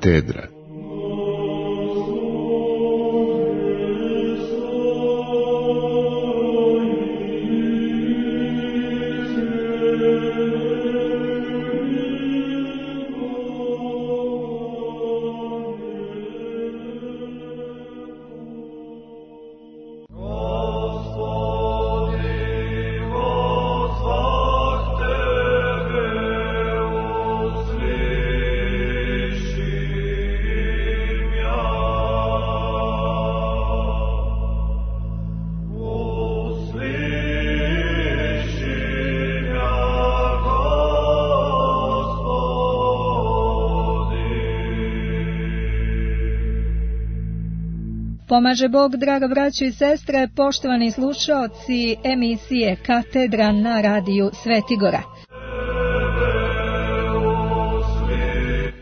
Katedra. Pomaže Bog, draga braćo i sestre, poštovani slušaoci emisije Katedra na radiju Svetigora.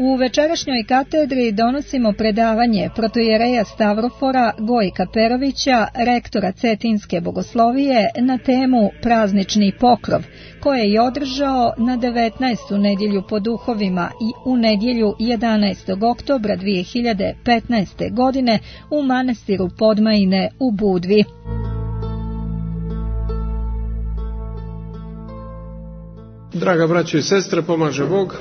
U večerašnjoj katedri donosimo predavanje protoijereja Stavrofora Gojka Perovića, rektora Cetinske bogoslovije, na temu Praznični pokrov, koje je održao na 19. nedjelju po duhovima i u nedjelju 11. oktobra 2015. godine u manastiru Podmajine u Budvi. Draga braćo i sestre, pomaže Bog.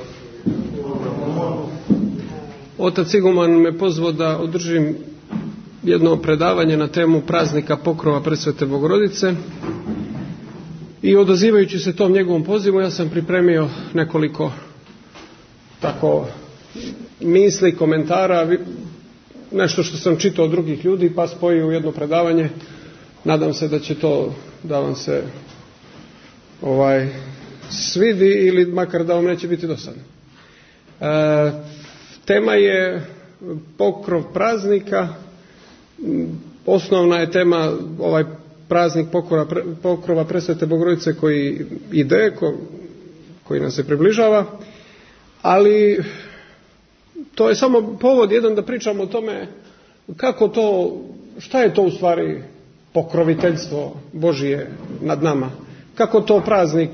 Otac Iguman me pozvao da održim jedno predavanje na temu praznika pokrova Presvete Bogorodice i odazivajući se tom njegovom pozivu ja sam pripremio nekoliko tako misli, komentara, nešto što sam čitao od drugih ljudi pa spojio u jedno predavanje. Nadam se da će to da vam se svidi ili makar da vam neće biti dosadno. Tema je pokrov praznika. Osnovna je tema ovaj praznik pokrova Presvete Bogorodice koji ide, koji nam se približava, ali to je samo povod jedan da pričamo o tome kako to, šta je to u stvari pokroviteljstvo Božije nad nama, kako to praznik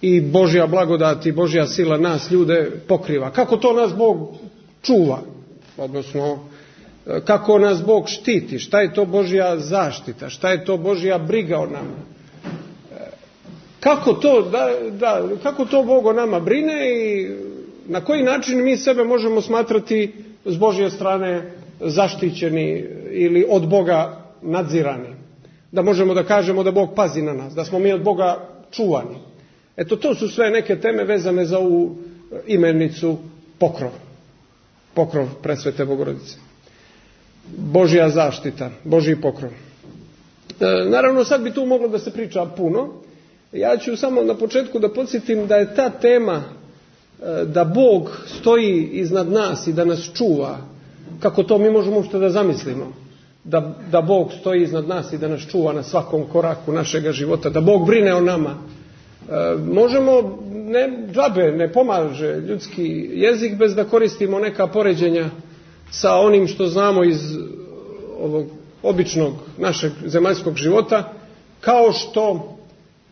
i Božja blagodat i Božja sila nas ljude pokriva. Kako to nas Bog čuva, odnosno kako nas Bog štiti, šta je to Božja zaštita, šta je to Božja briga o nama. Kako to Bog o nama brine i na koji način mi sebe možemo smatrati s Božje strane zaštićeni ili od Boga nadzirani. Da možemo da kažemo da Bog pazi na nas, da smo mi od Boga čuvani. Eto, to su sve neke teme vezane za ovu imenicu pokrov Presvete Bogorodice. Božja zaštita, Božji pokrov. Naravno, sad bi tu moglo da se priča puno. Ja ću samo na početku da podsjetim da je ta tema da Bog stoji iznad nas i da nas čuva, kako to mi možemo uopšte da zamislimo. Da Bog stoji iznad nas i da nas čuva na svakom koraku našega života, da Bog brine o nama. Možemo, ne pomaže ljudski jezik bez da koristimo neka poređenja sa onim što znamo iz ovog običnog našeg zemaljskog života, kao što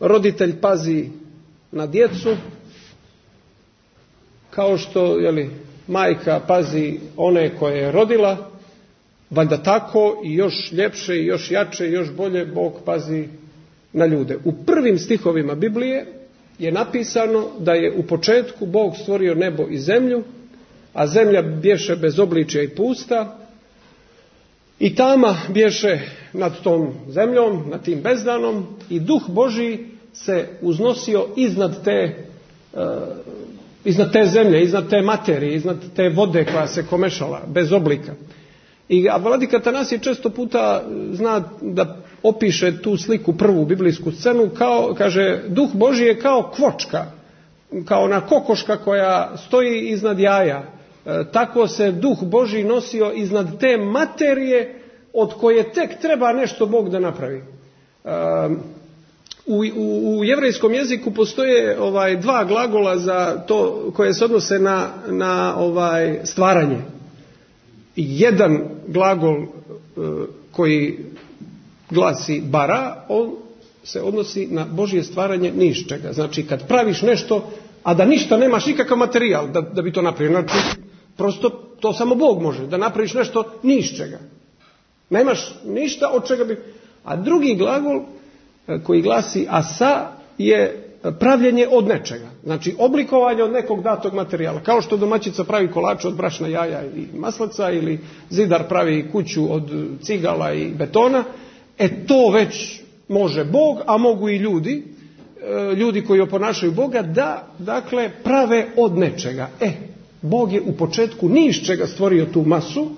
roditelj pazi na djecu, kao što majka pazi one koje je rodila, valjda tako i još ljepše i još jače i još bolje Bog pazi na ljude. U prvim stihovima Biblije je napisano da je u početku Bog stvorio nebo i zemlju, a zemlja bješe bez obličja i pusta i tama bješe nad tom zemljom, nad tim bezdanom i Duh Božji se uznosio iznad te zemlje, iznad te materije, iznad te vode koja se komešala bez oblika. A vladika Atanasije često puta zna da opiše tu sliku, prvu biblijsku scenu, kaže, Duh Božji je kao kvočka, kao ona kokoška koja stoji iznad jaja. Tako se Duh Božji nosio iznad te materije od koje tek treba nešto Bog da napravi. U jevrejskom jeziku postoje dva glagola za to koje se odnose na stvaranje. Jedan glagol koji glasi bara, on se odnosi na Božje stvaranje ni iz čega. Znači kad praviš nešto, a da ništa nemaš, nikakav materijal da bi to napravio. Znači Prosto to samo Bog može, da napraviš nešto ni iz čega. Nemaš ništa od čega bi... A drugi glagol koji glasi asa je pravljenje od nečega. Znači oblikovanje od nekog datog materijala. Kao što domaćica pravi kolače od brašna, jaja i maslaca ili zidar pravi kuću od cigala i betona. To već može Bog, a mogu i ljudi koji oponašaju Boga da, dakle, prave od nečega. Bog je u početku ni iz čega stvorio tu masu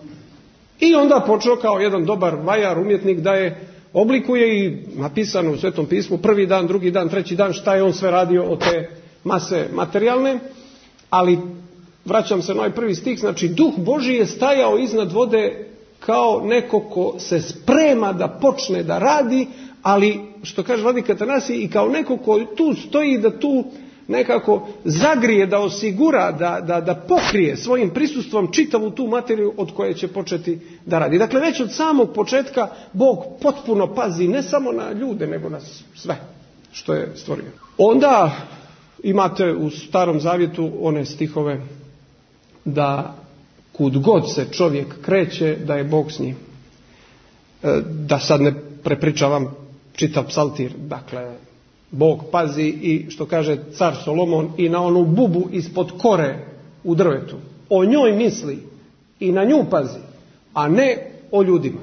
i onda počeo kao jedan dobar vajar, umjetnik da je oblikuje i napisano u Svetom pismu prvi dan, drugi dan, treći dan šta je on sve radio od te mase materijalne, ali vraćam se na ovaj prvi stih, znači Duh Božji je stajao iznad vode kao neko ko se sprema da počne da radi, ali što kaže vladika Atanasije i kao neko ko tu stoji da tu nekako zagrije, da osigura, da pokrije svojim prisustvom čitavu tu materiju od koje će početi da radi. Dakle, već od samog početka Bog potpuno pazi ne samo na ljude, nego na sve što je stvorio. Onda imate u Starom Zavjetu one stihove da kud god se čovjek kreće, da je Bog s njim. Da sad ne prepričavam čitav psaltir, dakle, Bog pazi i što kaže car Solomon i na onu bubu ispod kore u drvetu. O njoj misli i na nju pazi, a ne o ljudima.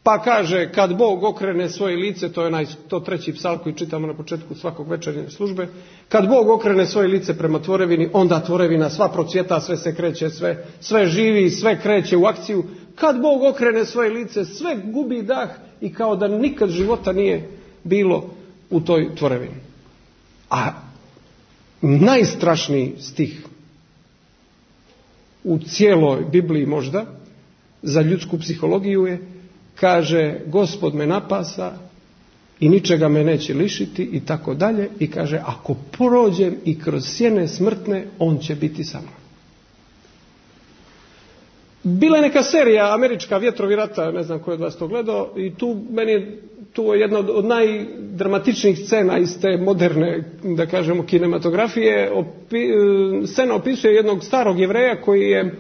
Pa kaže kad Bog okrene svoje lice, to je 103. psalm koji čitamo na početku svakog večernje službe, kad Bog okrene svoje lice prema tvorevini, onda tvorevina sva procvjeta, sve se kreće, sve živi, sve kreće u akciju. Kad Bog okrene svoje lice, sve gubi dah i kao da nikad života nije bilo u toj tvorevini. A najstrašniji stih u cijeloj Bibliji možda za ljudsku psihologiju je, kaže Gospod me napasa i ničega me neće lišiti i tako dalje, i kaže ako prođem i kroz sjene smrtne, on će biti sa mnom. Bila je neka serija američka Vjetrovi rata, ne znam ko je od vas to gledao, i tu je jedna od najdramatičnijih scena iz te moderne, da kažemo, kinematografije. Scena opisuje jednog starog Jevreja koji je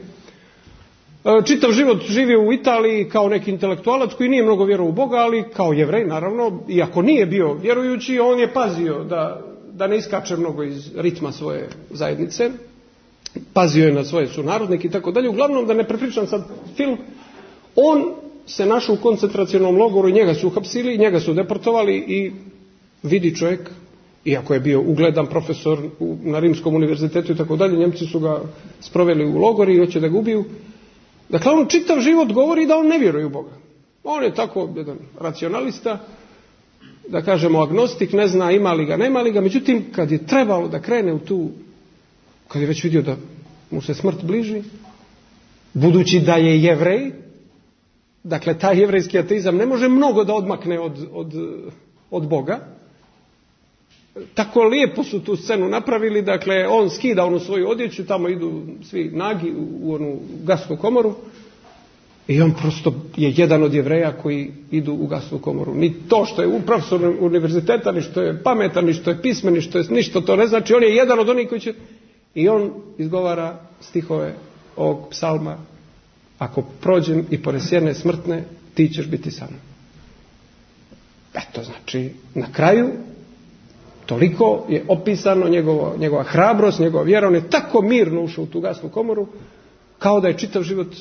čitav život živio u Italiji kao neki intelektualac koji nije mnogo vjerovao u Boga, ali kao Jevrej naravno, iako nije bio vjerujući, on je pazio da ne iskače mnogo iz ritma svoje zajednice. Pazio je na svoje sunarodnike i tako dalje. Uglavnom, da ne prepričam sad film, on se našao u koncentracionom logoru i njega su uhapsili, njega su deportovali i vidi čovjek, iako je bio ugledan profesor na Rimskom univerzitetu i tako dalje, Njemci su ga sproveli u logor i hoće da ga ubiju. Dakle, on čitav život govori da on ne vjeruje u Boga. On je tako jedan racionalista, da kažemo agnostik, ne zna ima li ga, nema li ga, međutim, kad je trebalo da krene u tu, kad je već vidio da mu se smrt bliži, budući da je Jevrej, dakle, taj jevrejski ateizam ne može mnogo da odmakne od Boga. Tako lijepo su tu scenu napravili, dakle, on skida onu svoju odjeću, tamo idu svi nagi u onu gasnu komoru i on prosto je jedan od Jevreja koji idu u gasnu komoru. Ni to što je profesor univerziteta, ni što je pametan, ni što je pismen, ni što je ništa, to ne znači, on je jedan od onih koji će... I on izgovara stihove ovog psalma: ako prođem i pored sjene smrtne, ti ćeš biti sa mnom. Eto, znači, na kraju toliko je opisano njegova hrabrost, njegova vjera. On je tako mirno ušao u tu gasnu komoru, kao da je čitav život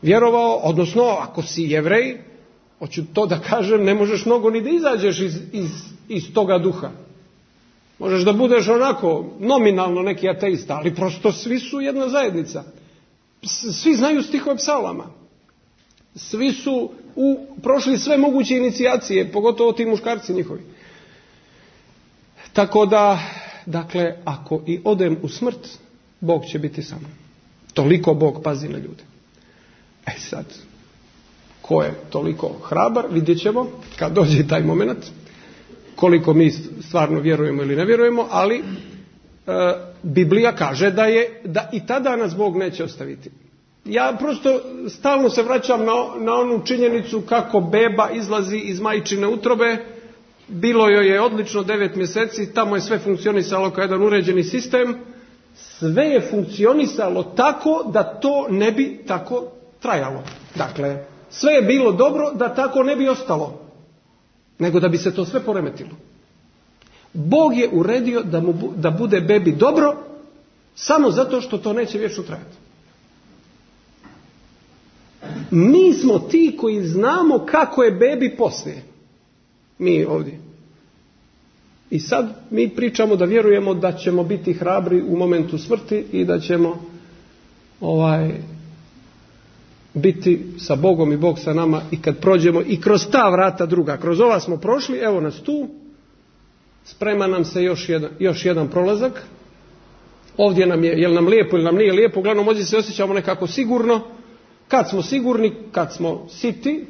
vjerovao, odnosno, ako si Jevrej, hoću to da kažem, ne možeš mnogo ni da izađeš iz toga duha. Možeš da budeš onako nominalno neki ateista, ali prosto svi su jedna zajednica. Svi znaju stihove psalama. Svi su prošli sve moguće inicijacije, pogotovo ti muškarci njihovi. Tako da, dakle, ako i odem u smrt, Bog će biti sa mnom. Toliko Bog pazi na ljude. Sad, ko je toliko hrabar, vidjet ćemo kad dođe taj moment, koliko mi stvarno vjerujemo ili ne vjerujemo, ali Biblija kaže da i tada nas Bog neće ostaviti. Ja prosto stalno se vraćam na onu činjenicu kako beba izlazi iz majčine utrobe. Bilo joj je odlično 9 mjeseci, tamo je sve funkcionisalo kao jedan uređeni sistem sve je funkcionisalo tako da to ne bi tako trajalo. Dakle, sve je bilo dobro da tako ne bi ostalo, nego da bi se to sve poremetilo. Bog je uredio da bude bebi dobro samo zato što to neće vječno trajati. Mi smo ti koji znamo kako je bebi poslije. Mi ovdje. I sad mi pričamo da vjerujemo da ćemo biti hrabri u momentu smrti i da ćemo biti sa Bogom i Bog sa nama i kad prođemo i kroz ta vrata druga. Kroz ova smo prošli, evo nas tu. Sprema nam se još jedan prolazak. Ovdje nam je, jel nam lijepo ili nam nije lijepo, uglavnom ovdje se osjećamo nekako sigurno. Kad smo sigurni, kad smo siti,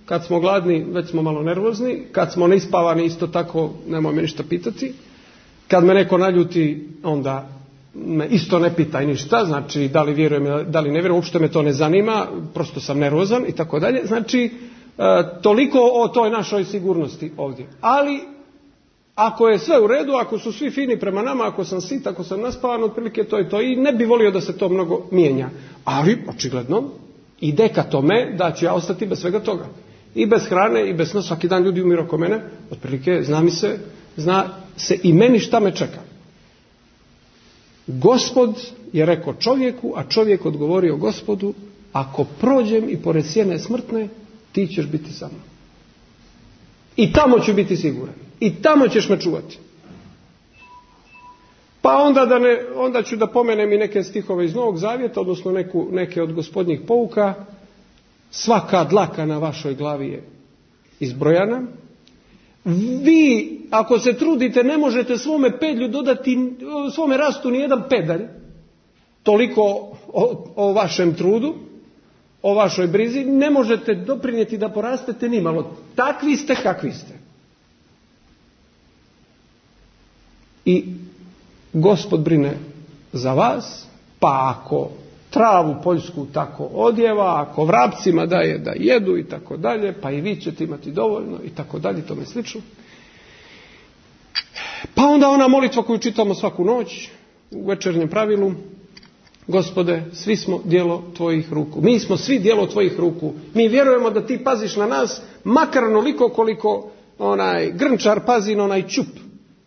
kad smo gladni, već smo malo nervozni, kad smo neispavani, isto tako, nemoj me ništa pitati. Kad me neko naljuti, onda me isto ne pitaj ništa, znači da li vjerujem, da li ne vjerujem, uopšte me to ne zanima, prosto sam nervozan i tako dalje. Znači, toliko o toj našoj sigurnosti ovdje. Ali, ako je sve u redu, ako su svi fini prema nama, ako sam sit, ako sam naspavan, otprilike to je to. I ne bi volio da se to mnogo mijenja. Ali, očigledno, ide ka tome da ću ja ostati bez svega toga. I bez hrane, i bez sna, svaki dan ljudi umiru oko mene, otprilike zna se i meni šta me čeka. Gospod je rekao čovjeku, a čovjek odgovorio Gospodu, ako prođem i pored sjene smrtne, ti ćeš biti sa mnom. I tamo ću biti siguran. I tamo ćeš me čuvati. Pa onda ću da pomenem i neke stihove iz Novog Zavjeta, odnosno neke od Gospodnjih pouka. Svaka dlaka na vašoj glavi je izbrojana. Vi, ako se trudite, ne možete svome pedlju dodati, svome rastu ni jedan pedalj. Toliko o vašem trudu, o vašoj brizi. Ne možete doprinijeti da porastete nimalo. Takvi ste kakvi ste. I Gospod brine za vas, pa ako travu poljsku tako odjeva, ako vrapcima daje da jedu i tako dalje, pa i vi ćete imati dovoljno i tako dalje, tome slično. Pa onda ona molitva koju čitamo svaku noć u večernjem pravilu, Gospode, svi smo djelo tvojih ruku. Mi smo svi djelo tvojih ruku. Mi vjerujemo da ti paziš na nas, makar onoliko koliko onaj grnčar pazi na onaj čup.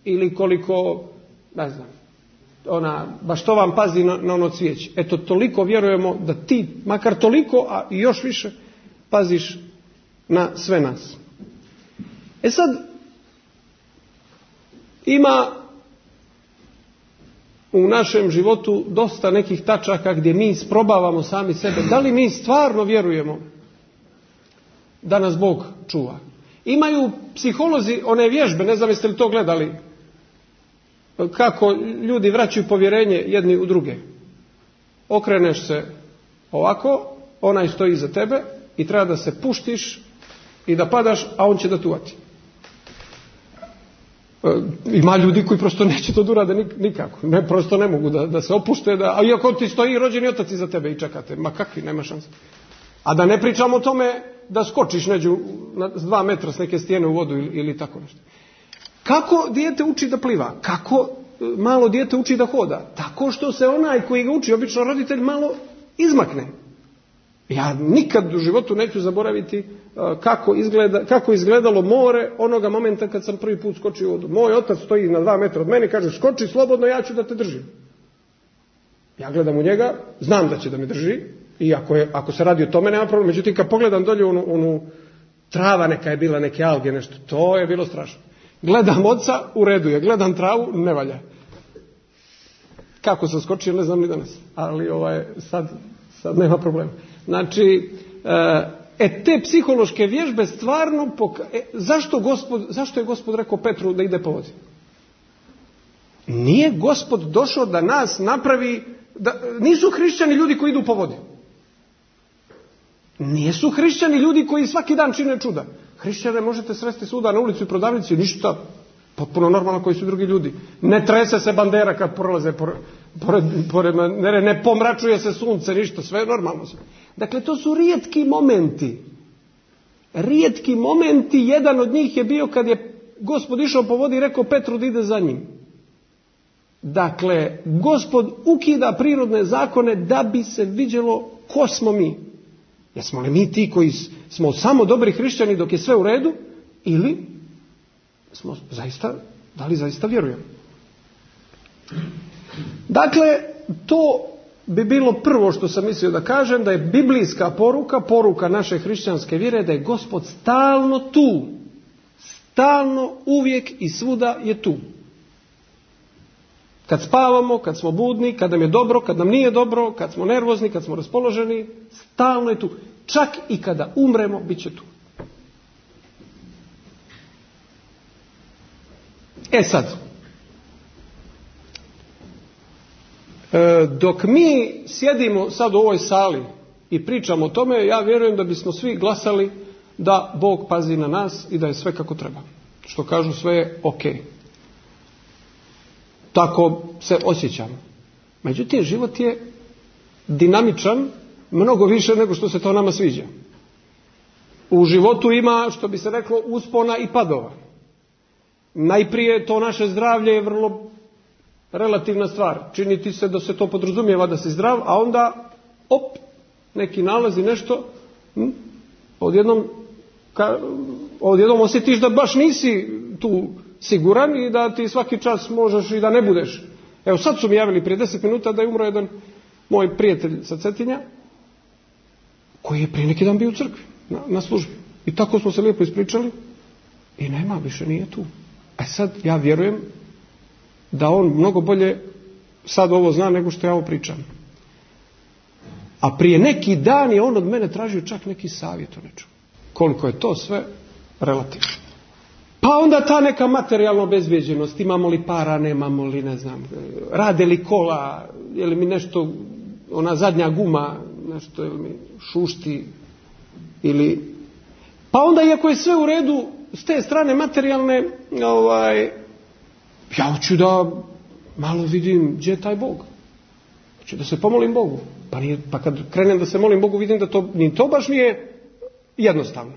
Ili koliko, ne znam, baštovan pazi na ono cvijeće. Eto, toliko vjerujemo da ti, makar toliko, a i još više, paziš na sve nas. E sad, ima u našem životu dosta nekih tačaka gdje mi isprobavamo sami sebe. Da li mi stvarno vjerujemo da nas Bog čuva? Imaju psiholozi one vježbe, ne znam jeste li to gledali, kako ljudi vraćaju povjerenje jedni u druge. Okreneš se ovako, onaj stoji iza tebe i treba da se puštiš i da padaš, a on će da te uvati. Ima ljudi koji prosto neće to da urade nikako. Prosto ne mogu da se opušte, a iako ti stoji rođeni otac iza tebe i čekate. Ma kakvi, nema šanse. A da ne pričamo o tome da skočiš s 2 metra s neke stijene u vodu ili tako nešto. Kako dijete uči da pliva? Kako malo dijete uči da hoda? Tako što se onaj koji ga uči, obično roditelj, malo izmakne. Ja nikad u životu neću zaboraviti kako izgledalo more onoga momenta kad sam prvi put skočio u vodu. Moj otac stoji na 2 metra od mene i kaže skoči slobodno, ja ću da te držim. Ja gledam u njega, znam da će da me drži i ako se radi o tome nema problem. Međutim, kad pogledam dolje onu trava neka je bila, neke alge, nešto, to je bilo strašno. Gledam oca, u redu je, gledam travu, ne valja. Kako sam skočio, ne znam ni danas, ali sad nema problema. Znači, te psihološke vježbe stvarno zašto je Gospod rekao Petru da ide po vodi? Nije Gospod došao da nas napravi, nisu hrišćani ljudi koji idu po vodi. Nisu hrišćani ljudi koji svaki dan čine čuda. Hrišćane možete sresti svuda na ulicu i prodavnici, ništa, potpuno normalno koji su drugi ljudi. Ne trese se bandera kad prolaze pored ne pomračuje se sunce, ništa, sve je normalno. Dakle, to su rijetki momenti. Rijetki momenti, jedan od njih je bio kad je Gospod išao po vodi i rekao Petru da ide za njim. Dakle, Gospod ukida prirodne zakone da bi se vidjelo ko smo mi. Jesmo li mi ti koji smo samo dobri hrišćani dok je sve u redu, ili smo zaista, da li zaista vjerujemo? Dakle, to bi bilo prvo što sam mislio da kažem, da je biblijska poruka naše hrišćanske vjere, da je Gospod stalno tu. Stalno, uvijek i svuda je tu. Kad spavamo, kad smo budni, kad nam je dobro, kad nam nije dobro, kad smo nervozni, kad smo raspoloženi, stalno je tu. Čak i kada umremo, bit će tu. Sad, dok mi sjedimo sad u ovoj sali i pričamo o tome, ja vjerujem da bismo svi glasali da Bog pazi na nas i da je sve kako treba. Što kažu, sve je ok. Tako se osjećamo. Međutim, život je dinamičan, mnogo više nego što se to nama sviđa. U životu ima, što bi se reklo, uspona i padova. Najprije to naše zdravlje je vrlo relativna stvar. Čini ti se da se to podrazumijeva da si zdrav, a onda neki nalazi nešto, odjednom osjetiš da baš nisi tu siguran i da ti svaki čas možeš i da ne budeš. Evo, sad su mi javili prije 10 minuta da je umro jedan moj prijatelj sa Cetinja, koji je prije neki dan bio u crkvi na službi. I tako smo se lijepo ispričali i nema, više nije tu. Sad ja vjerujem da on mnogo bolje sad ovo zna nego što ja ovo pričam. A prije neki dan je on od mene tražio čak neki savjet o nečemu. Koliko je to sve relativno. Pa onda ta neka materijalna obezbijeđenost, imamo li para, nemamo li, ne znam, rade li kola, je li mi nešto, ona zadnja guma, nešto, je li mi šušti, ili... Pa onda, iako je sve u redu, s te strane materijalne, ja hoću da malo vidim gdje je taj Bog. Hoću da se pomolim Bogu. Pa kad krenem da se molim Bogu, vidim da to baš nije jednostavno.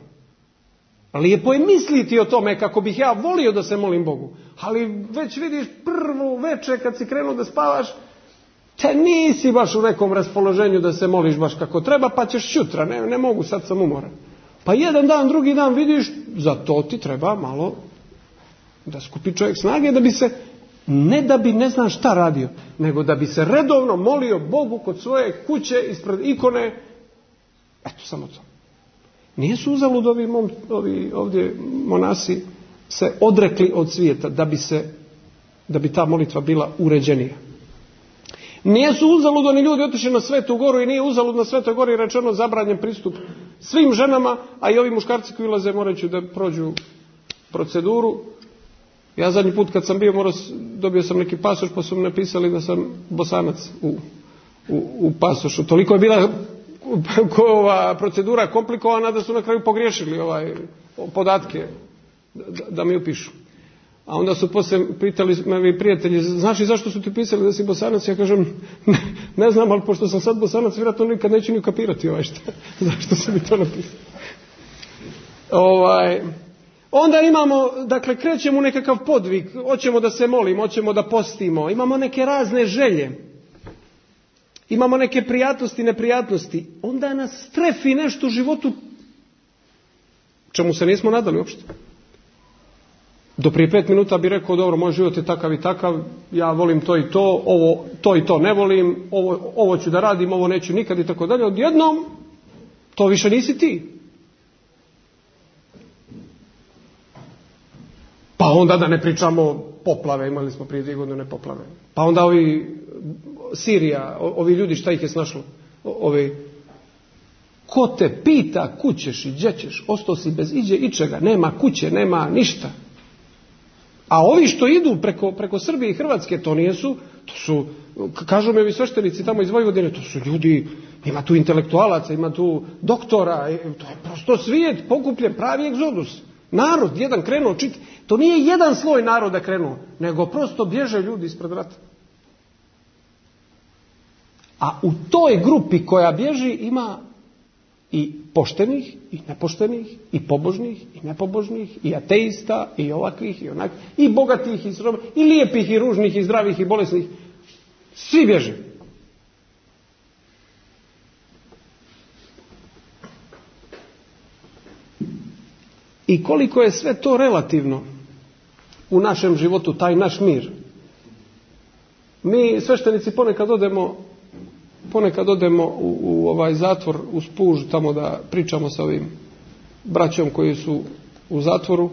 Lijepo je misliti o tome kako bih ja volio da se molim Bogu. Ali već vidiš prvu večer kad si krenuo da spavaš, te nisi baš u nekom raspoloženju da se moliš baš kako treba, pa ćeš sutra, ne mogu, sad sam umoran. Pa jedan dan, drugi dan vidiš, za to ti treba malo da skupi čovjek snage, da bi se, ne da bi ne znam šta radio, nego da bi se redovno molio Bogu kod svoje kuće, ispred ikone. Eto, samo to. Nisu uzalud ovi ovdje monasi se odrekli od svijeta da bi ta molitva bila uređenija. Nisu uzalud oni ljudi otišli na Svetu Goru i nije uzalud na Svetoj Gori rečeno zabranjen pristup svim ženama, a i ovi muškarci koji ulaze morat će da prođu proceduru. Ja zadnji put kad sam bio dobio sam neki pasoš, pa su mi napisali da sam Bosanac u pasošu. Toliko je bila procedura komplikovana da su na kraju pogriješili podatke da mi upišu. A onda su poslije pitali me prijatelji, znaš li zašto su ti pisali da si Bosanac? Ja kažem, ne znam, ali pošto sam sad Bosanac, vjerojatno nikad neću ni ukapirati zašto su mi to napisali. Onda imamo, dakle, krećemo u nekakav podvig, hoćemo da se molimo, hoćemo da postimo, imamo neke razne želje, imamo neke prijatnosti, neprijatnosti, onda nas strefi nešto u životu čemu se nismo nadali uopšte. Do prije 5 minuta bi rekao, dobro, moj život je takav i takav, ja volim to i to, to i to ne volim, ovo ću da radim, ovo neću nikad i tako dalje. Odjednom, to više nisi ti. Pa onda da ne pričamo poplave, imali smo prije 2 godine poplave. Pa onda Sirija, ovi ljudi, šta ih je snašlo? Ko te pita kućeš i gdje ćeš, ostao si bez ičega, nema kuće, nema ništa. A ovi što idu preko Srbije i Hrvatske, to su, kažu mi ovi sveštenici tamo iz Vojvodine, to su ljudi, ima tu intelektualaca, ima tu doktora, to je prosto svijet pokupljen, pravi egzodus. Narod, jedan krenuo čitati, to nije jedan sloj naroda krenuo, nego prosto bježe ljudi ispred rata. A u toj grupi koja bježi i poštenih, i nepoštenih, i pobožnih, i nepobožnih, i ateista, i ovakvih, i onakvih, i bogatih, i srobnih, i lijepih, i ružnih, i zdravih, i bolesnih. Svi bježe. I koliko je sve to relativno u našem životu, taj naš mir. Mi sveštenici ponekad odemo u ovaj zatvor, u Spuž, tamo da pričamo sa ovim braćom koji su u zatvoru.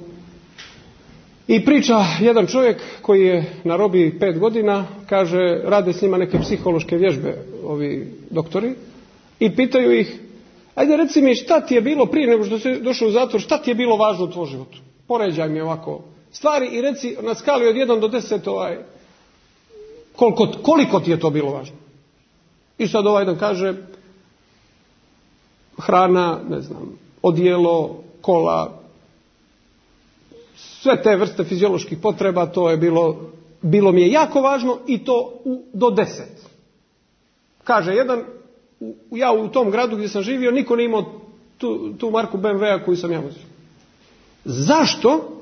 I priča jedan čovjek koji je na robiji 5 godina, kaže, rade s njima neke psihološke vježbe, ovi doktori, i pitaju ih, ajde reci mi šta ti je bilo prije nego što si došao u zatvor, šta ti je bilo važno u tvojom životu? Poređaj mi ovako stvari i reci na skali od 1 do 10 koliko ti je to bilo važno. I sad ovaj jedan kaže, hrana, ne znam, odijelo, kola, sve te vrste fizioloških potreba, to je bilo mi je jako važno i to do 10. Kaže jedan, ja u tom gradu gdje sam živio, niko nije imao tu marku BMW-a koju sam ja vozio. Zašto?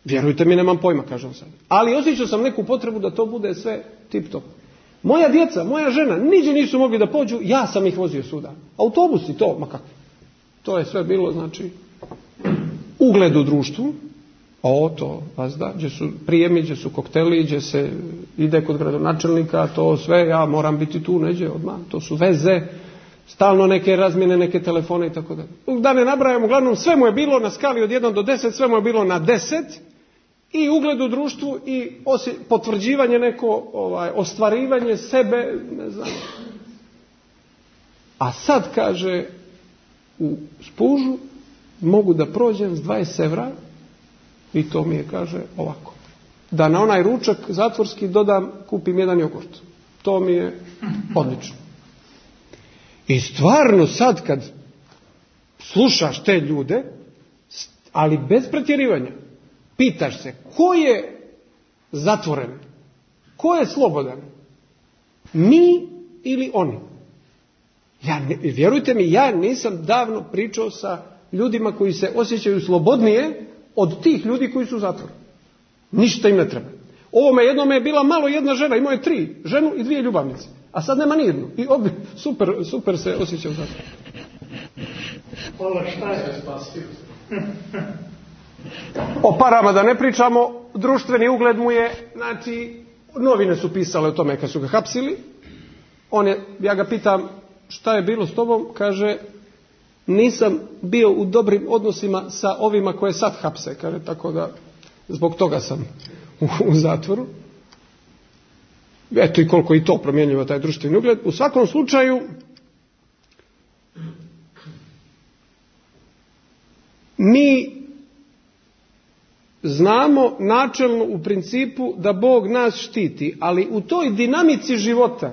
Vjerujte mi, nemam pojma, kažem sad. Ali osjećao sam neku potrebu da to bude sve tip top. Moja djeca, moja žena, niđe nisu mogli da pođu, ja sam ih vozio svuda. Autobusi, to, ma kako. To je sve bilo, znači, ugled u društvu, to, vazda, gdje su prijemi, gdje su kokteli, gdje se ide kod gradonačelnika, to sve, ja moram biti tu neđe odmah, to su veze, stalno neke razmjene, neke telefone i tako dalje. Da ne nabrajam, uglavnom sve mu je bilo na skali od 1 do 10, sve mu je bilo na 10, i ugled u društvu i potvrđivanje neko, ostvarivanje sebe, ne znam. A sad kaže, u Spužu mogu da prođem s 20 evra i to mi je, kaže, ovako. Da na onaj ručak zatvorski kupim jedan jogurt. To mi je odlično. I stvarno sad kad slušaš te ljude, ali bez pretjerivanja, pitaš se, ko je zatvoren? Ko je slobodan? Mi ili oni? Vjerujte mi, ja nisam davno pričao sa ljudima koji se osjećaju slobodnije od tih ljudi koji su u zatvoru. Ništa im ne treba. Ovome jednome je bila malo jedna žena, imao je 3, ženu i 2 ljubavnice. A sad nema ni jednu. I super se osjeća u zatvoru. Šta je spasio? O parama da ne pričamo, društveni ugled mu je, znači, novine su pisale o tome kad su ga hapsili. Ja ga pitam, šta je bilo s tobom? Kaže, nisam bio u dobrim odnosima sa ovima koje sad hapse. Kaže, tako da, zbog toga sam u zatvoru. Eto i koliko i to promjenjivo taj društveni ugled. U svakom slučaju, mi znamo načelno u principu da Bog nas štiti, ali u toj dinamici života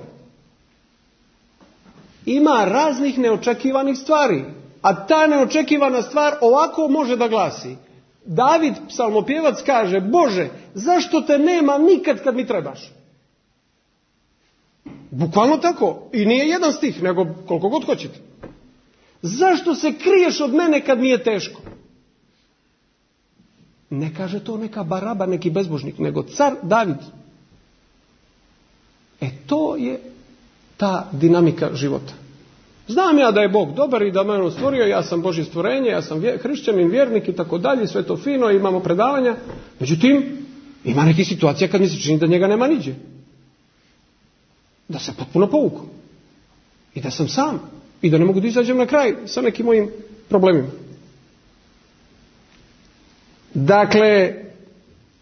ima raznih neočekivanih stvari. A ta neočekivana stvar ovako može da glasi. David, psalmopjevac, kaže, Bože, zašto te nema nikad kad mi trebaš? Bukvalno tako. I nije jedan stih, nego koliko god hoćete. Zašto se kriješ od mene kad mi je teško? Ne kaže to neka baraba, neki bezbožnik, nego car David. To je ta dinamika života. Znam ja da je Bog dobar i da me on stvorio, ja sam Božje stvorenje, ja sam hrišćanin, vjernik i tako dalje, sve to fino, imamo predavanja. Međutim, ima nekih situacija kad mi se čini da njega nema niđe. Da se potpuno povuku. I da sam sam. I da ne mogu da izađem na kraj sa nekim mojim problemima. Dakle,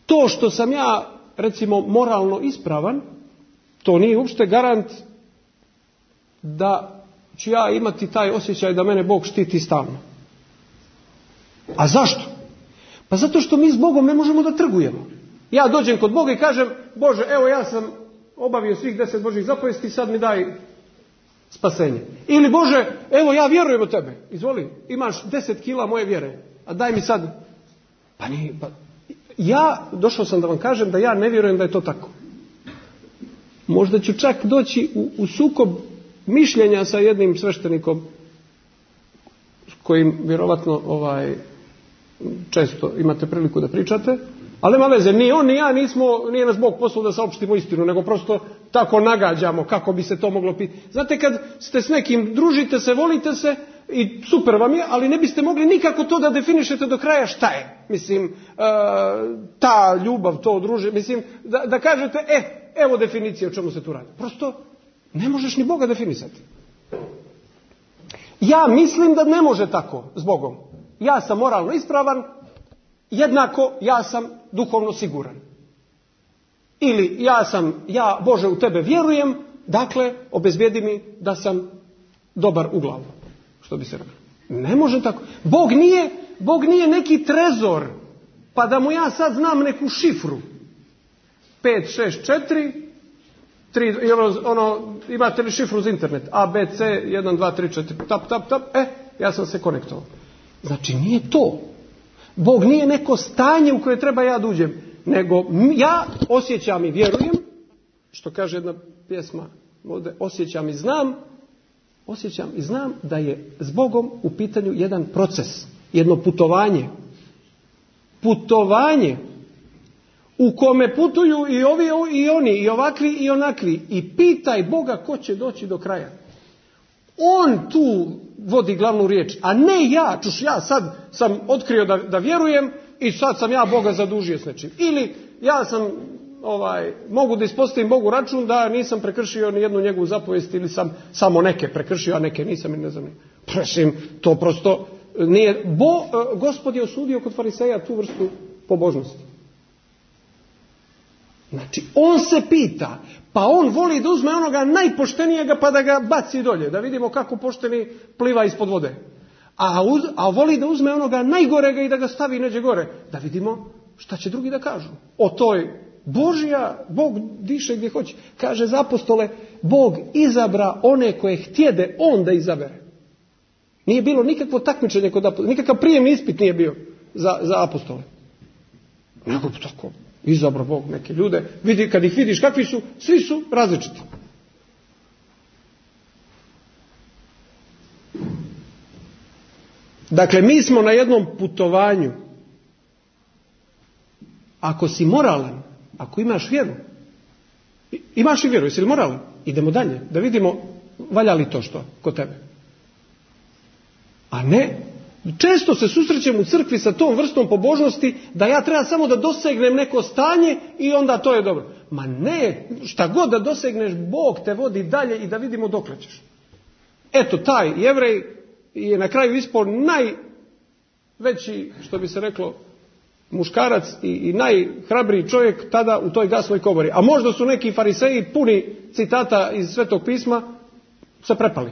to što sam ja, recimo, moralno ispravan, to nije uopšte garant da ću ja imati taj osjećaj da mene Bog štiti stalno. A zašto? Pa zato što mi s Bogom ne možemo da trgujemo. Ja dođem kod Boga i kažem, Bože, evo ja sam obavio svih 10 Božjih zapovesti, sad mi daj spasenje. Ili Bože, evo ja vjerujem u tebe, izvoli, imaš 10 kila moje vjere, a daj mi sad. Ja došao sam da vam kažem da ja ne vjerujem da je to tako. Možda ću čak doći u sukob mišljenja sa jednim sveštenikom kojim vjerovatno često imate priliku da pričate, ali nema veze, ni on ni ja nije nas Bog poslao da saopštimo istinu, nego prosto tako nagađamo kako bi se to moglo pitati. Znate, kad ste s nekim, družite se, volite se i super vam je, ali ne biste mogli nikako to da definišete do kraja šta je. Mislim, ta ljubav, to druženje, mislim, da kažete, evo definicije o čemu se tu radi. Prosto ne možeš ni Boga definisati. Ja mislim da ne može tako s Bogom. Ja sam moralno ispravan, jednako ja sam duhovno siguran. Ili ja Bože u tebe vjerujem, dakle obezbijedi mi da sam dobar u glavu. Što bi se reklo. Ne može tako. Bog nije neki trezor, pa da mu ja sad znam neku šifru. 5, 6, 4, 3, imate li šifru za internet? A, B, C, 1, 2, 3, 4, tap, ja sam se konektovao. Znači nije to. Bog nije neko stanje u koje treba ja da uđem, nego ja osjećam i vjerujem, što kaže jedna pjesma ovdje, osjećam i znam da je s Bogom u pitanju jedan proces, jedno putovanje. Putovanje u kome putuju i ovi i oni, i ovakvi i onakvi, i pitaj Boga ko će doći do kraja. On tu vodi glavnu riječ, a ne ja. Ja sad sam otkrio da vjerujem i sad sam ja Boga zadužio s nečim. Ili ja sam mogu da ispostavim Bogu račun da nisam prekršio ni jednu njegovu zapovijest ili sam samo neke prekršio, a neke nisam i ne znam. Prešim, to prosto nije. Gospod je osudio kod fariseja tu vrstu pobožnosti. Znači, on se pita, pa on voli da uzme onoga najpoštenijega pa da ga baci dolje, da vidimo kako pošteni pliva ispod vode. A voli da uzme onoga najgorega i da ga stavi neđe gore, da vidimo šta će drugi da kažu. O toj Bog diše gdje hoće. Kaže za apostole, Bog izabra one koje htjede on da izabere. Nije bilo nikakvo takmičenje kod apostola, nikakav prijemni ispit nije bio za apostole. Nego tako. Izabrao Bog neke ljude, kad ih vidiš kakvi su, svi su različiti. Dakle, mi smo na jednom putovanju. Ako si moralan, ako imaš vjeru, imaš i vjeru, jesi li moralan? Idemo dalje, da vidimo valja li to što kod tebe. A ne, često se susrećem u crkvi sa tom vrstom pobožnosti da ja treba samo da dosegnem neko stanje i onda to je dobro. Ma ne, šta god da dosegneš, Bog te vodi dalje i da vidimo dokle ćeš. Eto, taj Jevrej je na kraju ispao najveći, što bi se reklo, muškarac i najhrabriji čovjek tada u toj gasnoj komori. A možda su neki fariseji puni citata iz Svetog pisma se prepali.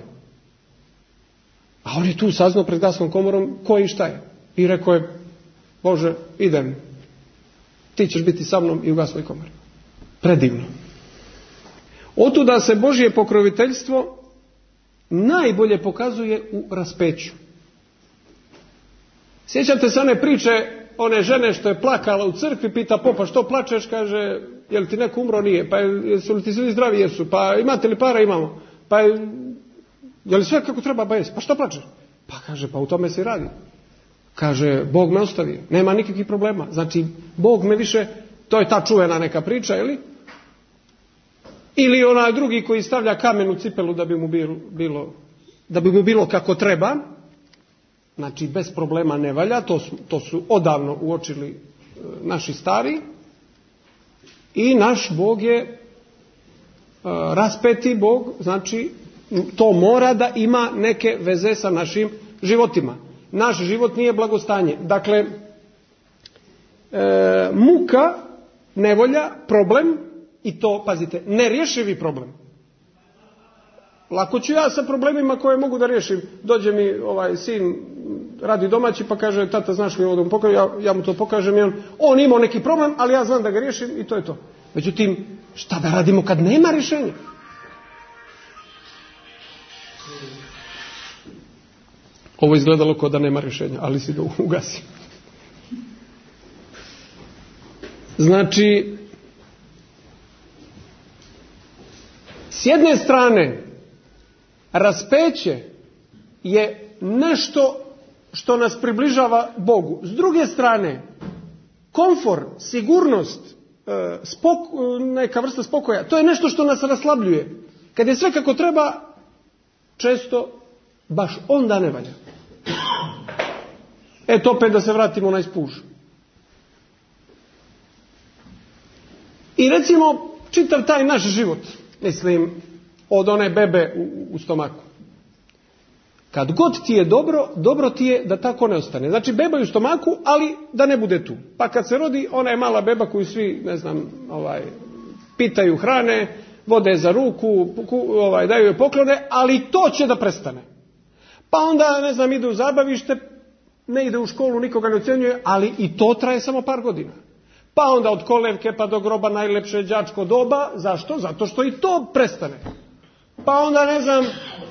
A on je tu saznao pred gasnom komorom ko i šta je. I rekao je, Bože, idem. Ti ćeš biti sa mnom i u gasnoj komori. Predivno. Otuda se Božje pokroviteljstvo najbolje pokazuje u raspeću. Sjećate se one priče, one žene što je plakala u crkvi, pita popa što plačeš, kaže, je li ti neko umro? Nije. Pa jesu li ti svi zdravi? Jesu. Pa imate li para? Imamo. Pa je li sve kako treba? Ba jes. Pa što plačeš? Pa kaže, pa u tome se radi. Kaže, Bog me ostavio. Nema nikakvih problema. Znači, Bog me više, to je ta čuvena neka priča, ili onaj drugi koji stavlja kamen u cipelu da bi mu bilo kako treba. Znači, bez problema ne valja. To su odavno uočili naši stari. I naš Bog je raspeti Bog, znači to mora da ima neke veze sa našim životima. Naš život nije blagostanje. Dakle, muka, nevolja, problem, i to, pazite, nerješivi problem. Lako ću ja sa problemima koje mogu da riješim. Dođe mi sin, radi domaći, pa kaže, tata, znaš li ovo da mu pokažem? Ja mu to pokažem i on imao neki problem, ali ja znam da ga riješim i to je to. Međutim, šta da radimo kad nema rješenja? Ovo izgledalo kao da nema rješenja, ali si ga ugasi. Znači, s jedne strane, raspeće je nešto što nas približava Bogu. S druge strane, komfor, sigurnost, neka vrsta spokoja, to je nešto što nas raslabljuje. Kad je sve kako treba, često baš onda ne valja. Eto opet da se vratimo na ispuž. I recimo, čitav taj naš život, mislim, od one bebe u stomaku. Kad god ti je dobro, dobro ti je da tako ne ostane. Znači, beba je u stomaku, ali da ne bude tu. Pa kad se rodi, ona je mala beba koju svi, ne znam, pitaju, hrane, vode za ruku, daju joj poklone, ali to će da prestane. Pa onda, ne znam, ide u zabavište, ne ide u školu, nikoga ne ocjenjuje, ali i to traje samo par godina. Pa onda od kolevke pa do groba najlepše đačko doba. Zašto? Zato što i to prestane. Pa onda, ne znam,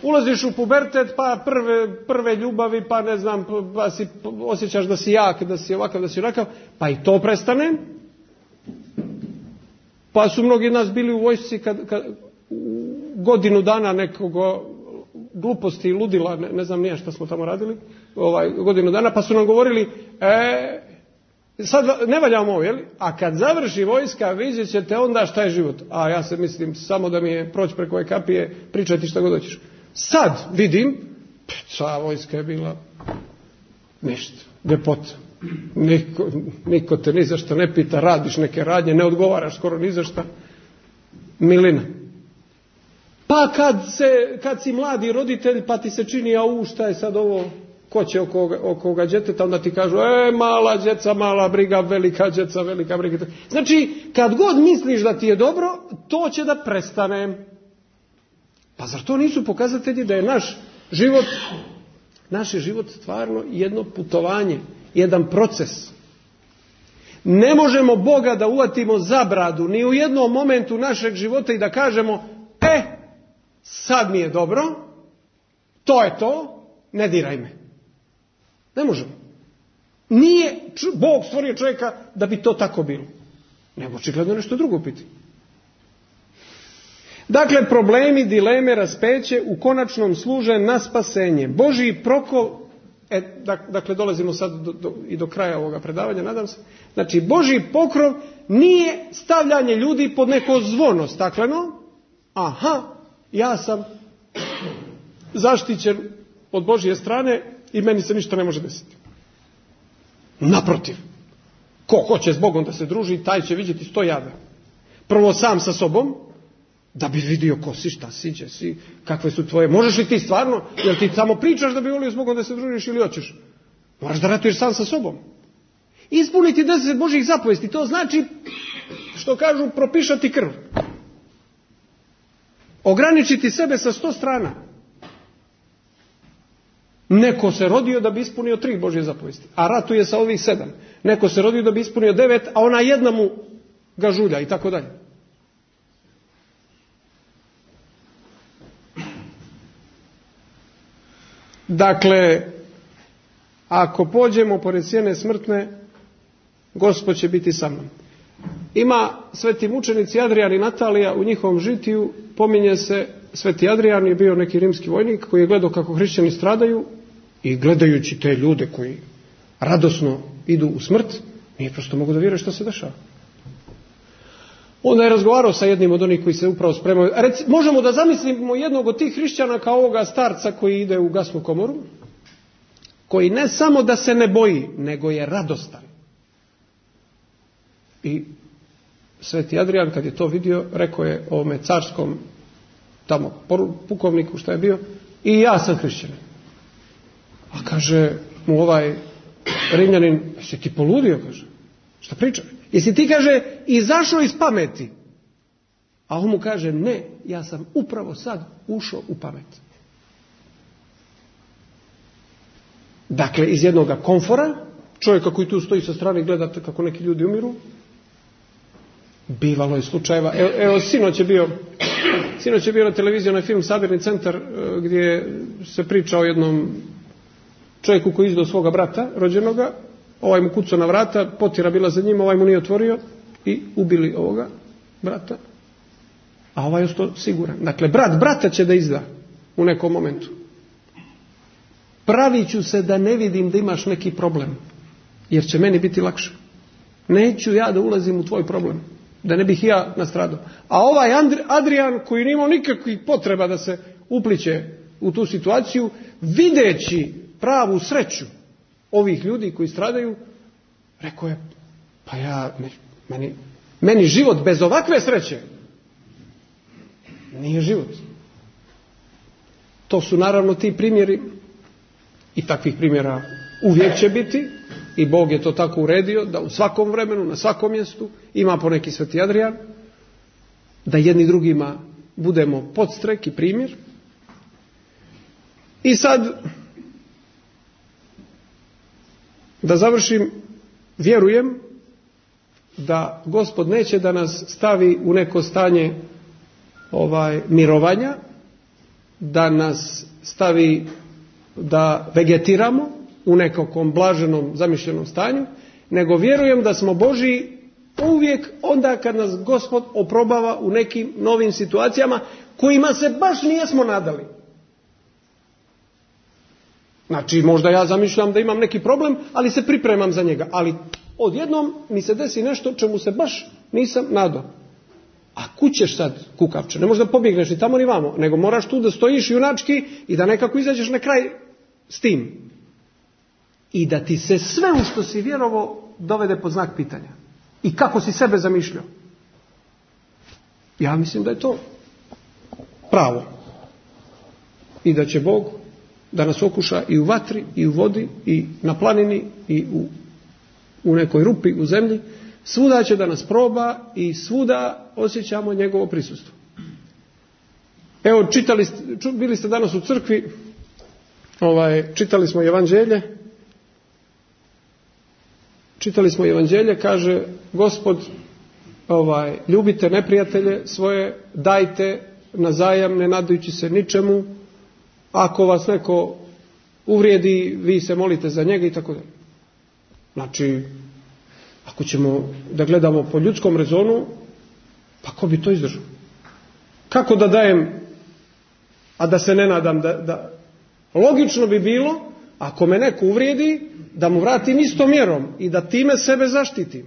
ulaziš u pubertet, pa prve ljubavi, pa ne znam, pa osjećaš da si jak, da si ovakav, da si onakav, pa i to prestane. Pa su mnogi nas bili u vojsci kad godinu dana nekog gluposti i ludila, ne znam nije šta smo tamo radili, godinu dana, pa su nam govorili, sad ne valjamo ovo, jel? A kad završi vojska, vidjet ćete onda šta je život. A ja se mislim, samo da mi je proći preko ove kapije, pričati šta god hoćeš. Sad vidim, sva vojska je bila ništa, ljepota. Niko te ni za šta ne pita, radiš neke radnje, ne odgovaraš skoro ni za šta. Milina. Pa kad si mladi roditelj, pa ti se čini, šta je sad ovo, ko će oko ovoga djeteta, onda ti kažu, mala djeca, mala briga, velika djeca, velika briga. Znači, kad god misliš da ti je dobro, to će da prestane. Pa zar to nisu pokazatelji da je naš život stvarno jedno putovanje, jedan proces? Ne možemo Boga da uvatimo za bradu ni u jednom momentu našeg života i da kažemo, sad mi je dobro, to je to, ne diraj me. Ne možemo. Nije Bog stvorio čovjeka da bi to tako bilo. Nego očigledno nešto drugo piti. Dakle, problemi, dileme, raspeće u konačnom služe na spasenje. Božji prokol, dakle dolazimo sad i do kraja ovoga predavanja, nadam se. Znači, Božji pokrov nije stavljanje ljudi pod neko zvono stakleno. Ja sam zaštićen od Božje strane i meni se ništa ne može desiti. Naprotiv, ko hoće s Bogom da se druži, taj će vidjeti 100 jada. Prvo sam sa sobom, da bi vidio ko si, šta si, gdje si, kakve su tvoje. Možeš li ti stvarno, jel ti samo pričaš da bi volio s Bogom da se družiš ili hoćeš? Moraš da ratuješ sam sa sobom. Ispuniti 10 Božjih zapovesti, to znači, što kažu, propišati krv. Ograničiti sebe sa 100 strana. Neko se rodio da bi ispunio 3 Božje zapovesti, a ratuje sa ovih 7. Neko se rodio da bi ispunio 9, a ona jedna mu ga žulja i tako dalje. Dakle, ako pođemo pored sjene smrtne, Gospod će biti sa mnom. Ima sveti mučenici Adrijan i Natalija, u njihovom žitiju pominje se sveti Adrijan je bio neki rimski vojnik koji je gledao kako hrišćani stradaju i gledajući te ljude koji radosno idu u smrt, nije prosto mogu da vjeruje što se dešava. Onda je razgovarao sa jednim od onih koji se upravo spremaju. Možemo da zamislimo jednog od tih hrišćana kao ovoga starca koji ide u gasnu komoru, koji ne samo da se ne boji, nego je radostan. I sveti Adrijan kad je to vidio, rekao je ovome carskom tamo pukovniku šta je bio, i ja sam hrišćanin. A kaže mu ovaj Rimljanin, jesi ti poludio, kaže, šta priča? Jesi ti, kaže, izašao iz pameti? A on mu kaže, ne, ja sam upravo sad ušao u pamet. Dakle, iz jednoga komfora, čovjeka koji tu stoji sa strane i gleda kako neki ljudi umiru, bivalo je slučajeva. Evo sinoć je bio na televiziji onaj film Sabirni centar gdje se priča o jednom čovjeku koji je izdao svoga brata rođenoga, ovaj mu kucao na vrata, potjera bila za njim, ovaj mu nije otvorio i ubili ovoga brata, a ovaj je ostao siguran. Dakle, brata će da izda u nekom momentu. pravit ću se da ne vidim da imaš neki problem, jer će meni biti lakše. Neću ja da ulazim u tvoj problem, da ne bih ja nastradao. A ovaj Adrian, koji nije imao nikakvih potreba da se upliće u tu situaciju, videći pravu sreću ovih ljudi koji stradaju, rekao je, pa meni život bez ovakve sreće nije život. To su naravno ti primjeri, i takvih primjera uvijek će biti, i Bog je to tako uredio da u svakom vremenu, na svakom mjestu ima poneki sveti Adrian, da jedni drugima budemo podstrek i primjer. I sad, da završim, vjerujem da Gospod neće da nas stavi u neko stanje mirovanja, da nas stavi da vegetiramo u nekakvom blaženom zamišljenom stanju, nego vjerujem da smo Božji uvijek onda kad nas Gospod oprobava u nekim novim situacijama kojima se baš nijesmo nadali. Znači, možda ja zamišljam da imam neki problem, ali se pripremam za njega. Ali odjednom mi se desi nešto čemu se baš nisam nadao. A kud ćeš sad, kukavče? Ne možeš da pobjegneš ni tamo ni vamo, nego moraš tu da stojiš junački i da nekako izađeš na kraj s tim. I da ti se sve u što si vjerovao dovede pod znak pitanja. I kako si sebe zamišljao. Ja mislim da je to pravo. I da će Bog da nas okuša i u vatri, i u vodi, i na planini, i u nekoj rupi u zemlji. Svuda će da nas proba i svuda osjećamo njegovo prisustvo. Evo, bili ste danas u crkvi, čitali smo evanđelje, kaže Gospod, ljubite neprijatelje svoje, dajte na zajam, ne nadajući se ničemu, ako vas neko uvrijedi, vi se molite za njega i tako dalje. Znači, ako ćemo da gledamo po ljudskom rezonu, pa ko bi to izdržao? Kako da dajem, a da se ne nadam da... Logično bi bilo, ako me neko uvrijedi, da mu vratim istom mjerom i da time sebe zaštitim.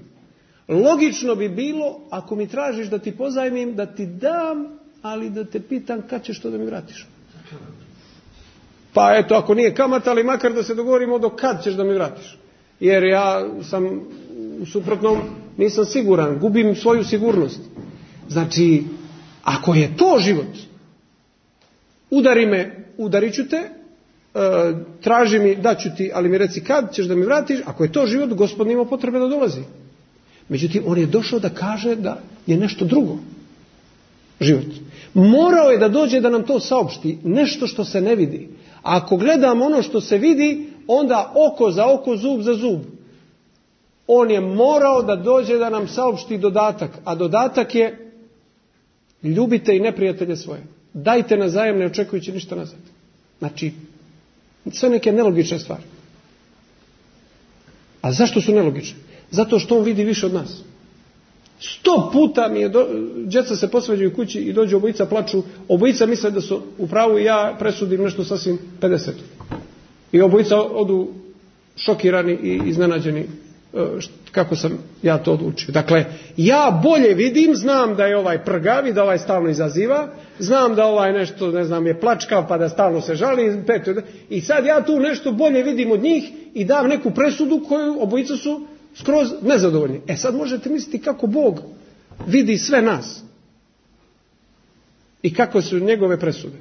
Logično bi bilo, ako mi tražiš da ti pozajmim, da ti dam, ali da te pitam kad ćeš to da mi vratiš. Pa eto, ako nije kamata, ali makar da se dogovorimo do kad ćeš da mi vratiš. Jer ja sam u suprotnom nisam siguran, gubim svoju sigurnost. Znači, ako je to život, udari me, udarit ću te, traži mi, daću ti, ali mi reci kad ćeš da mi vratiš. Ako je to život, Gospod nema potrebe da dolazi. Međutim, on je došao da kaže da je nešto drugo život. Morao je da dođe da nam to saopšti, nešto što se ne vidi. A ako gledamo ono što se vidi, onda oko za oko, zub za zub. On je morao da dođe da nam saopšti dodatak, a dodatak je ljubite i neprijatelje svoje. Dajte na zajam ne očekujući ništa nazad. Znači, sve neke nelogične stvari. A zašto su nelogične? Zato što on vidi više od nas. 100 puta mi je, djeca se posvađaju kući i dođu obojica, plaču, obojica misle da su u pravu i ja presudim nešto sasvim 50. I obojica odu šokirani i iznenađeni kako sam ja to odlučio. Dakle, ja bolje vidim, znam da je ovaj prgavi, da ovaj stalno izaziva, znam da ovaj nešto, ne znam, je plačkav pa da stalno se žali, i sad ja tu nešto bolje vidim od njih i dam neku presudu koju obojica su skroz nezadovoljni. Sad možete misliti kako Bog vidi sve nas i kako su njegove presude.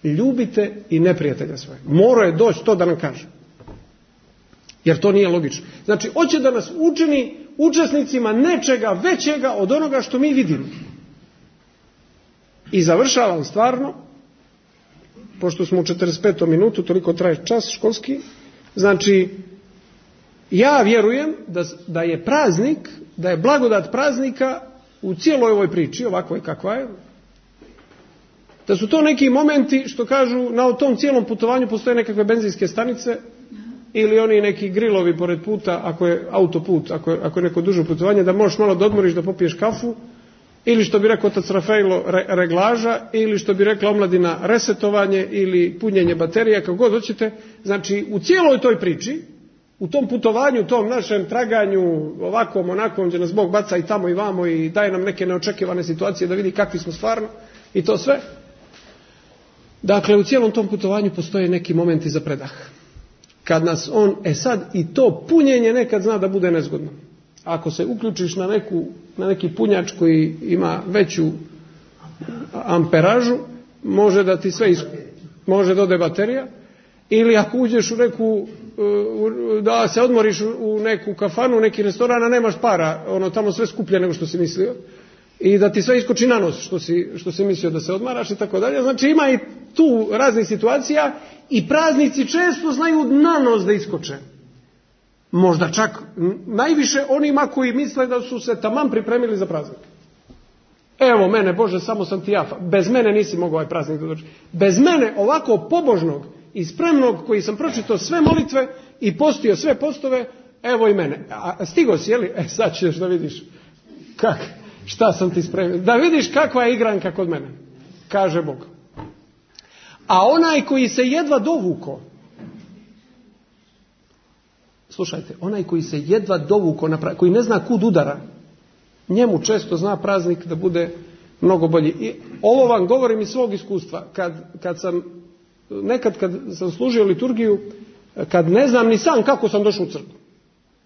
Ljubite i neprijatelja svoje. Morao je doći to da nam kaže. Jer to nije logično. Znači, hoće da nas učini učesnicima nečega većega od onoga što mi vidimo. I završavam stvarno, pošto smo u 45. minutu, toliko traje čas školski, znači, ja vjerujem da je praznik, da je blagodat praznika u cijeloj ovoj priči, ovako je kakva je, da su to neki momenti što kažu na tom cijelom putovanju postoje nekakve benzinske stanice ili oni neki grilovi pored puta, ako je autoput, ako je neko duže putovanje, da možeš malo da odmoriš, da popiješ kafu ili što bi rekao otac Rafaelo reglaža, ili što bi rekla omladina resetovanje ili punjenje baterija, kako god hoćete. Znači u cijeloj toj priči, u tom putovanju, u tom našem traganju ovakvom, onakvom, gdje nas Bog baca i tamo i vamo i daje nam neke neočekivane situacije da vidi kakvi smo stvarno i to sve. Dakle, u cijelom tom putovanju postoje neki momenti za predah. Kad nas on, sad i to punjenje nekad zna da bude nezgodno. Ako se uključiš na neki punjač koji ima veću amperažu, može da ti sve može da ode baterija, ili ako uđeš u neku, da se odmoriš u neku kafanu, neki restoran, a nemaš para, tamo sve skuplje nego što si mislio, i da ti sve iskoči na nos što si mislio da se odmaraš i tako dalje. Znači ima i tu raznih situacija i praznici često znaju na nos da iskoče. Možda čak najviše onima koji misle da su se taman pripremili za praznik. Evo mene, Bože, samo sam ti ja. Bez mene nisi mogao ovaj praznik da dođe. Bez mene ovako pobožnog i spremnog koji sam pročitao sve molitve i postio sve postove, evo i mene. A stigo si, jeli? Sad ćeš da vidiš šta sam ti spremio. Da vidiš kakva je igranka kod mene, kaže Bog. A onaj koji se jedva dovuko, slušajte, onaj koji se jedva dovuko, koji ne zna kud udara, njemu često zna praznik da bude mnogo bolji. I ovo vam govorim iz svog iskustva. Kad sam služio liturgiju, kad ne znam ni sam kako sam došao u crkvu.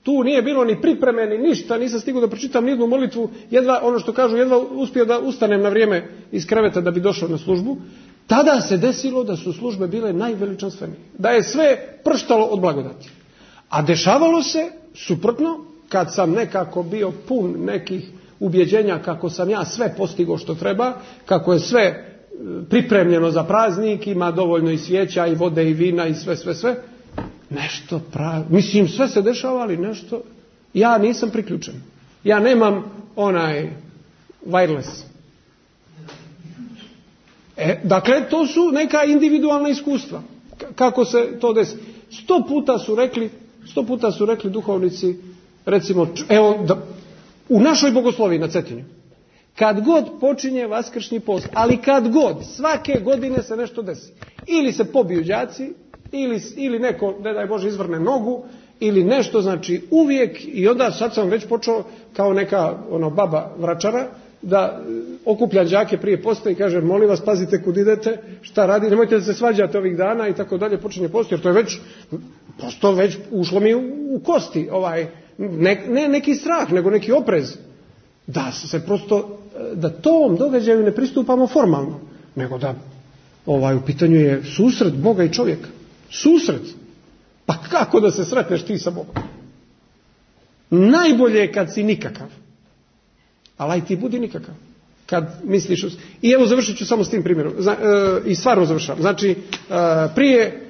Tu nije bilo ni pripreme, ni ništa, nisam stigao da pročitam ni jednu molitvu, jedva uspio da ustanem na vrijeme iz kreveta da bi došao na službu. Tada se desilo da su službe bile najveličanstvenije. Da je sve prštalo od blagodati. A dešavalo se suprotno, kad sam nekako bio pun nekih ubjeđenja kako sam ja sve postigao što treba, kako je sve pripremljeno za praznik, ima dovoljno i svijeća i vode i vina i sve. Nešto mislim, sve se dešava, ali nešto, ja nisam priključen. Ja nemam onaj wireless. Dakle, to su neka individualna iskustva. Kako se to desi? 100 puta su rekli duhovnici, recimo, u našoj bogosloviji na Cetinju, kad god počinje vaskršnji post, ali kad god, svake godine se nešto desi. Ili se pobiju đaci, ili neko, ne daj Bože, izvrne nogu, ili nešto, znači uvijek, i onda sad sam već počeo kao neka baba vračara, da okuplja đake prije posta i kaže, molim vas, pazite kud idete, šta radi, nemojte da se svađate ovih dana i tako dalje, počinje post, jer to je već ušlo mi u kosti, ne neki strah, nego neki oprez, da se prosto, da tom događaju ne pristupamo formalno, nego da u pitanju je susret Boga i čovjeka. Susret. Pa kako da se sretneš ti sa Bogom? Najbolje je kad si nikakav. Ali aj ti budi nikakav. Kad misliš... I evo završit ću samo s tim primjerom. I stvarno završavam. Znači, prije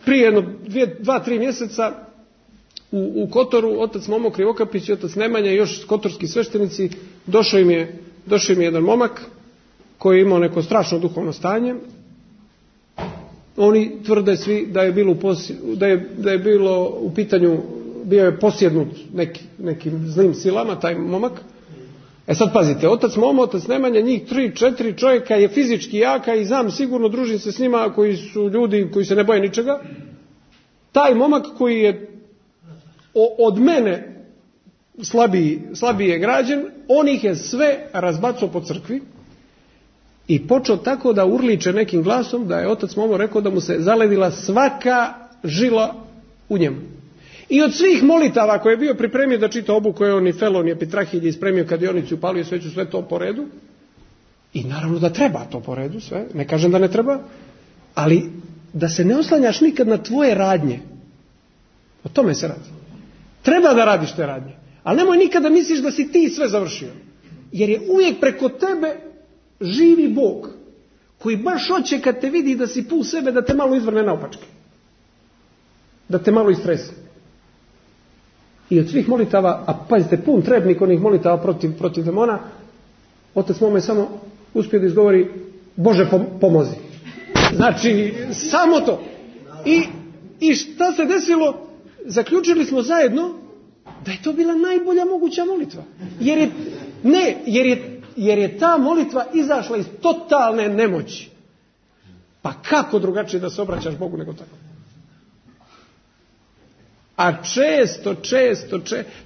2-3 mjeseca u Kotoru otac Momo Krivokapić i otac Nemanja i još kotorski sveštenici, došao im je jedan momak koji je imao neko strašno duhovno stanje. Oni tvrde svi da je bilo u pitanju, bio je posjednut nekim zlim silama taj momak. Sad pazite, otac Momo, otac Nemanja, njih 3-4 čovjeka je fizički jaka i znam sigurno, družim se s njima koji su ljudi koji se ne boje ničega. Taj momak koji je od mene slabije građen, on ih je sve razbacao po crkvi i počeo tako da urliče nekim glasom da je otac Momo rekao da mu se zaledila svaka žila u njemu. I od svih molitava koje je bio pripremio da čita obu koje on i Felon je Pitrahilje ispremio kadionicu, upalio sveću, sve to po redu. I naravno da treba to po redu sve, ne kažem da ne treba, ali da se ne oslanjaš nikad na tvoje radnje. O tome se radi. Treba da radiš te radnje, ali nemoj nikad da misliš da si ti sve završio. Jer je uvijek preko tebe živi Bog, koji baš hoće kad te vidi da si pun sebe, da te malo izvrne naopačke. Da te malo istrese. I od svih molitava, a pazite, pun trebnik onih molitava protiv demona, otac Momo je samo uspio da izgovori Bože pomozi. Znači, samo to. I šta se desilo? Zaključili smo zajedno da je to bila najbolja moguća molitva. Jer je jer je ta molitva izašla iz totalne nemoći. Pa kako drugačije da se obraćaš Bogu nego tako? A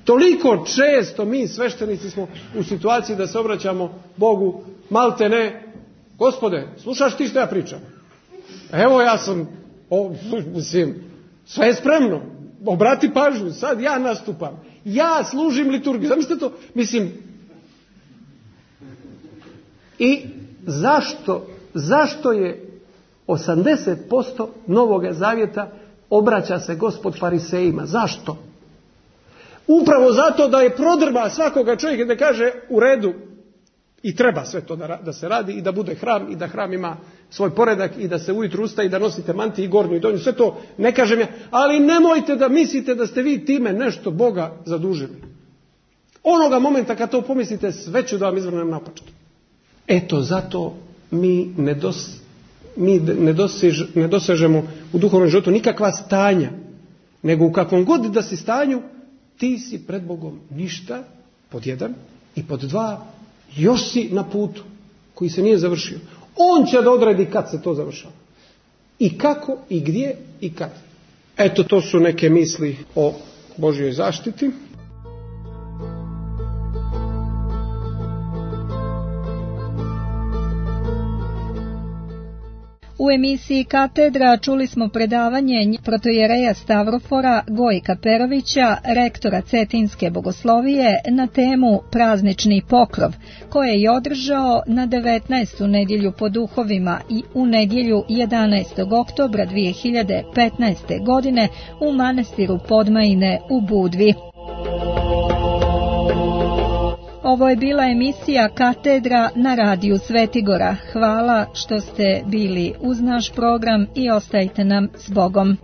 toliko često mi sveštenici smo u situaciji da se obraćamo Bogu malte ne, Gospode, slušaš ti što ja pričam? Evo ja sam, sve je spremno, obrati pažnju, sad ja nastupam, ja služim liturgiju, zamislite to, i zašto je 80% Novoga Zavjeta obraća se Gospod farisejima? Zašto? Upravo zato da je prodrba svakoga čovjeka da kaže u redu i treba sve to da se radi i da bude hram i da hram ima svoj poredak i da se ujutro ustaje i da nosite mantiju i gornju i donju. Sve to ne kažem ja, ali nemojte da mislite da ste vi time nešto Boga zadužili. Onoga momenta kad to pomislite, sve ću da vam izvrnem naopačke. Eto, zato mi ne dosežemo u duhovnom životu nikakva stanja, nego u kakvom god da si stanju, ti si pred Bogom ništa, pod 1, i pod 2, još si na putu koji se nije završio. On će da odredi kad se to završava. I kako, i gdje, i kad. Eto, to su neke misli o Božjoj zaštiti. U emisiji Katedra čuli smo predavanje protojereja Stavrofora Gojka Perovića, rektora Cetinske bogoslovije, na temu Praznični pokrov, koje je održao na 19. nedjelju po duhovima i u nedjelju 11. oktobra 2015. godine u manastiru Podmajine u Budvi. Ovo je bila emisija Katedra na radiju Svetigora. Hvala što ste bili uz naš program i ostajte nam s Bogom.